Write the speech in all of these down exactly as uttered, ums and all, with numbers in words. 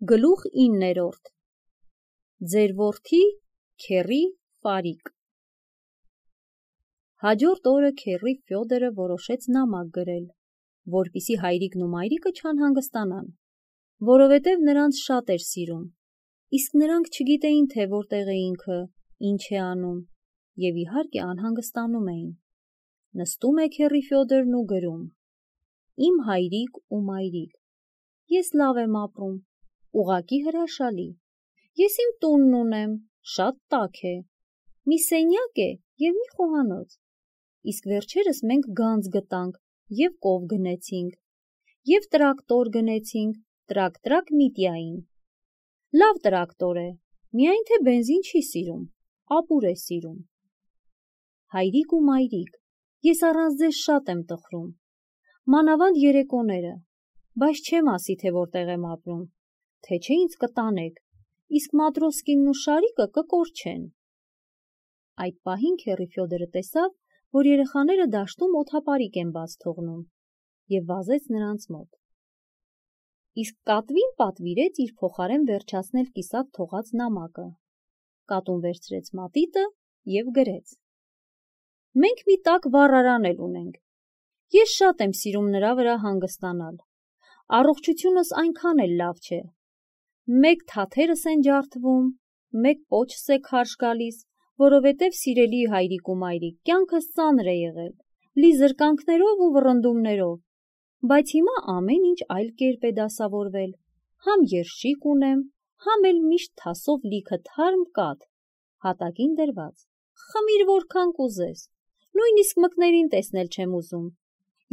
Գլուխ իններորդ Ձեր որդի Քեռի Ֆարիկ Հաջորդ օրը Քեռի Ֆյոդորը որոշեց նամակ գրել, որպեսզի հայրիկն ու մայրիկը չանհանգստանան, որովհետև նրանց շատ էր սիրում, իսկ նրանք չգիտեին, թե որտեղ է ինքը, ինչ է անում, և իհարկե անհանգստանում էին։ Նստում է Քեռի Ֆյոդորն ու գրում. Իմ հայրիկ ու մայրիկ, ես լավ եմ ապրում, ուղղակի հրաշալի, ես իմ տունն ունեմ, շատ տաք է, մի սենյակ է և մի խոհանոց, իսկ վերջերս մենք գանձ գտանք և կով գնեցինք, և տրակտոր գնեցինք տրակ-տրակ Միտիային, լավ տրակտոր է, միայն թե բենզին չի սիրում, ապուր է սիրում։ Հայրիկ ու մայրիկ, ես առանց ձեզ շատ եմ տխրում, մանավանդ երեկոները, բայց չեմ ասի, թե որտեղ եմ ապրում, թե չէ ինձ կտանեք, իսկ Մատրոսկինն ու Շարիկը կկորչեն։ Այդ պահին Քեռի Ֆյոդորը տեսավ, որ երեխաները դաշտում օդապարիկ են բաց թողնում, և վազեց նրանց մոտ։ Իսկ կատվին պատվիրեց իր փոխարեն վերջացնել կիսատ թողած նամակը, կատուն վերցրեց մատիտը և գրեց. Մենք մի տաք վառարան էլ ունենք, ես շատ եմ սիրում նրա վրա հանգստանալ, առողջությունս այնքան էլ լավ չէ, մեկ թաթերս են ջարդվում, մեկ պոչս է քարշ գալիս, որովհետև սիրելի հայրիկ ու մայրիկ, կյանքս ծանր է եղել, լի զրկանքներով ու վռնդումներով, բայց հիմա ամեն ինչ այլ կերպ է դասավորվել, համ երշիկ ունեմ, համ էլ միշտ թասով լիքը թարմ կաթ, հատակին դրված, խմիր որքան կուզես, նույնիսկ մկներին տեսնել չեմ ուզում,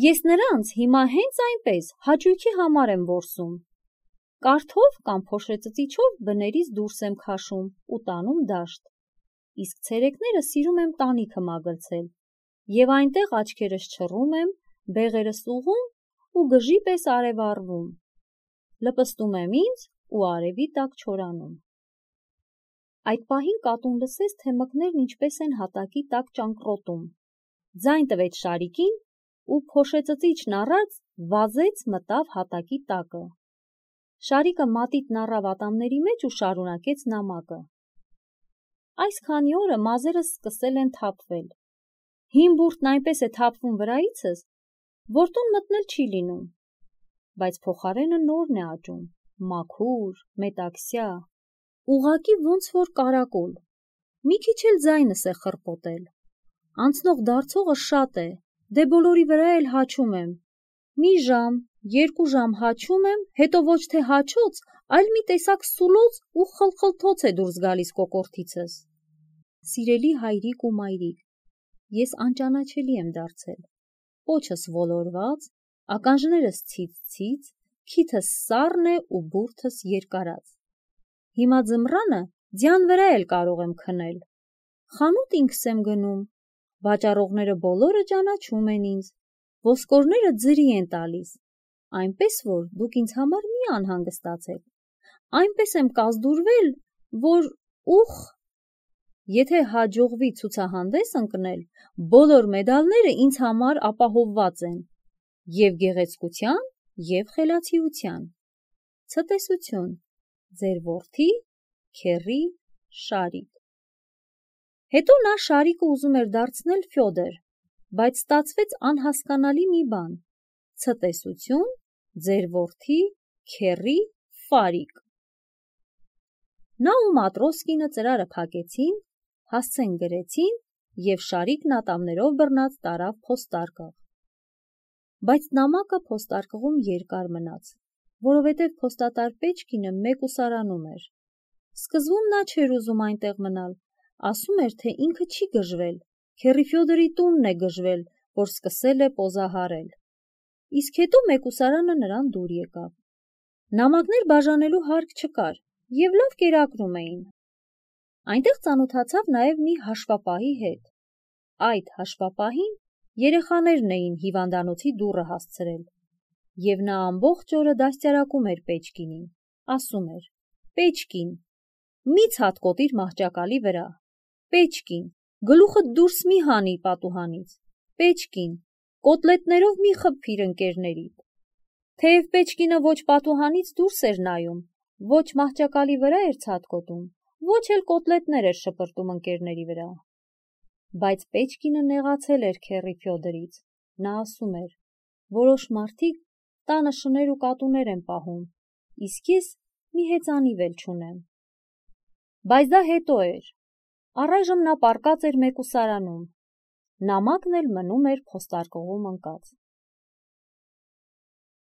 ես նրանց հիմա հենց այնպես հաճույքի համար եմ որսում, կարթով կամ փոշեծծիչով բներից դուրս եմ քաշում ու տանում դաշտ, իսկ ցերեկները սիրում եմ տանիքը մագլցել և այնտեղ աչքերս չռում եմ, բեղերս ուղղում ու գժի պես արևառվում, լպստում եմ ինձ ու արևի տակ չորանում։ Այդ պահին կատուն լսեց, թե մկներն ինչպես են հատակի տակ ճանկռոտում, ձայն տվեց Շարիկին ու փոշեծծիչն առած վազեց մտավ հատակի տակը։ Շարիկը մատիտն առավ ատամների մեջ ու շարունակեց նամակը. Այս քանի օրը մազերս սկսել են թափվել, հին բուրդն այնպես է թափվում վրայիցս, որ տուն մտնել չի լինում, բայց փոխարենը նորն է աճում, մաքուր, մետաքսյա, ուղղակի ոնց որ կարակոլ, մի քիչ էլ ձայնս է խռպոտել, անցնող դարձողը շատ է, դե բոլորի վրա էլ հաչում եմ, մի ժամ, երկու ժամ հաչում եմ, հետո ոչ թե հաչոց, այլ մի տեսակ սուլոց ու խլխլթոց է դուրս գալիս կոկորդիցս։ Սիրելի հայրիկ ու մայրիկ, ես անճանաչելի եմ դարձել, պոչս ոլորված, ականջներս ցից-ցից, քիթս սառն է ու բուրդս երկարած։ Հիմա ձմռանը ձյան վրա էլ կարող եմ քնել, խանութ ինքս եմ գնում, վաճառողները բոլորը ճանաչում են ինձ, ոսկորները ձրի են տալիս, այնպես որ դուք ինձ համար մի անհանգստացեք, այնպես եմ կազդուրվել, որ ուխ, եթե հաջողվի ցուցահանդես ընկնել, բոլոր մեդալները ինձ համար ապահովված են, և գեղեցկության, և խելացիության։ Ցտեսություն, ձեր որդի Քեռի Շարիկ։ Հետո նա Շարիկը ուզում էր դարձնել Ֆյոդոր, բայց ստացվեց անհասկանալի մի բան. ցտեսություն, ձեր որդի Քեռի Ֆարիկ։ Նա ու Մատրոսկինը ծրարը փակեցին, հասցեն գրեցին և Շարիկն ատամներով բռնած տարավ փոստարկղ։ Բայց նամակը փոստարկղում երկար մնաց, որովհետև փոստատար Պեչկինը մեկուսարանում էր։ Սկզբում նա չէր ուզում այնտեղ մնալ, ասում էր, թե ինքը չի գժվել, Քեռի Ֆյոդորի տունն է գժվել, որ սկսել է պոզահարել։ Իսկ հետո մեկուսարանը նրան դուր եկավ։ Նամակներ բաժանելու հարկ չկար, և լավ կերակրում էին։ Այնտեղ ծանոթացավ նաև մի հաշվապահի հետ։ Այդ հաշվապահին երեխաներն էին հիվանդանոցի դուռը հասցրել, և նա ամբողջ օրը դաստիարակում էր Պեչկինին, ասում էր. Պեչկին, մի ցատկոտիր մահճակալի վրա, Պեչկին, գլուխդ դուրս մի հանի պատուհանից, Պեչկին, կոտլետներով մի խփիր ընկերներիդ։ Թեև Պեչկինը ոչ պատուհանից դուրս էր նայում, Ոչ մահճակալի վրա էր ցատկոտում, ոչ էլ կոտլետներ էր շպրտում ընկերների վրա։ Բայց Պեչկինը նեղացել էր քեռի Ֆյոդորից, նա ասում էր, որոշ մարդիկ տանը շներ ու կատուներ են պահում, իսկ ես մի հեծանիվ էլ չունեմ։ Բայց դա հետո էր, առայժմ նա պառկած էր մեկուսարանում, նամակն էլ մնում էր փոստարկղում ընկած։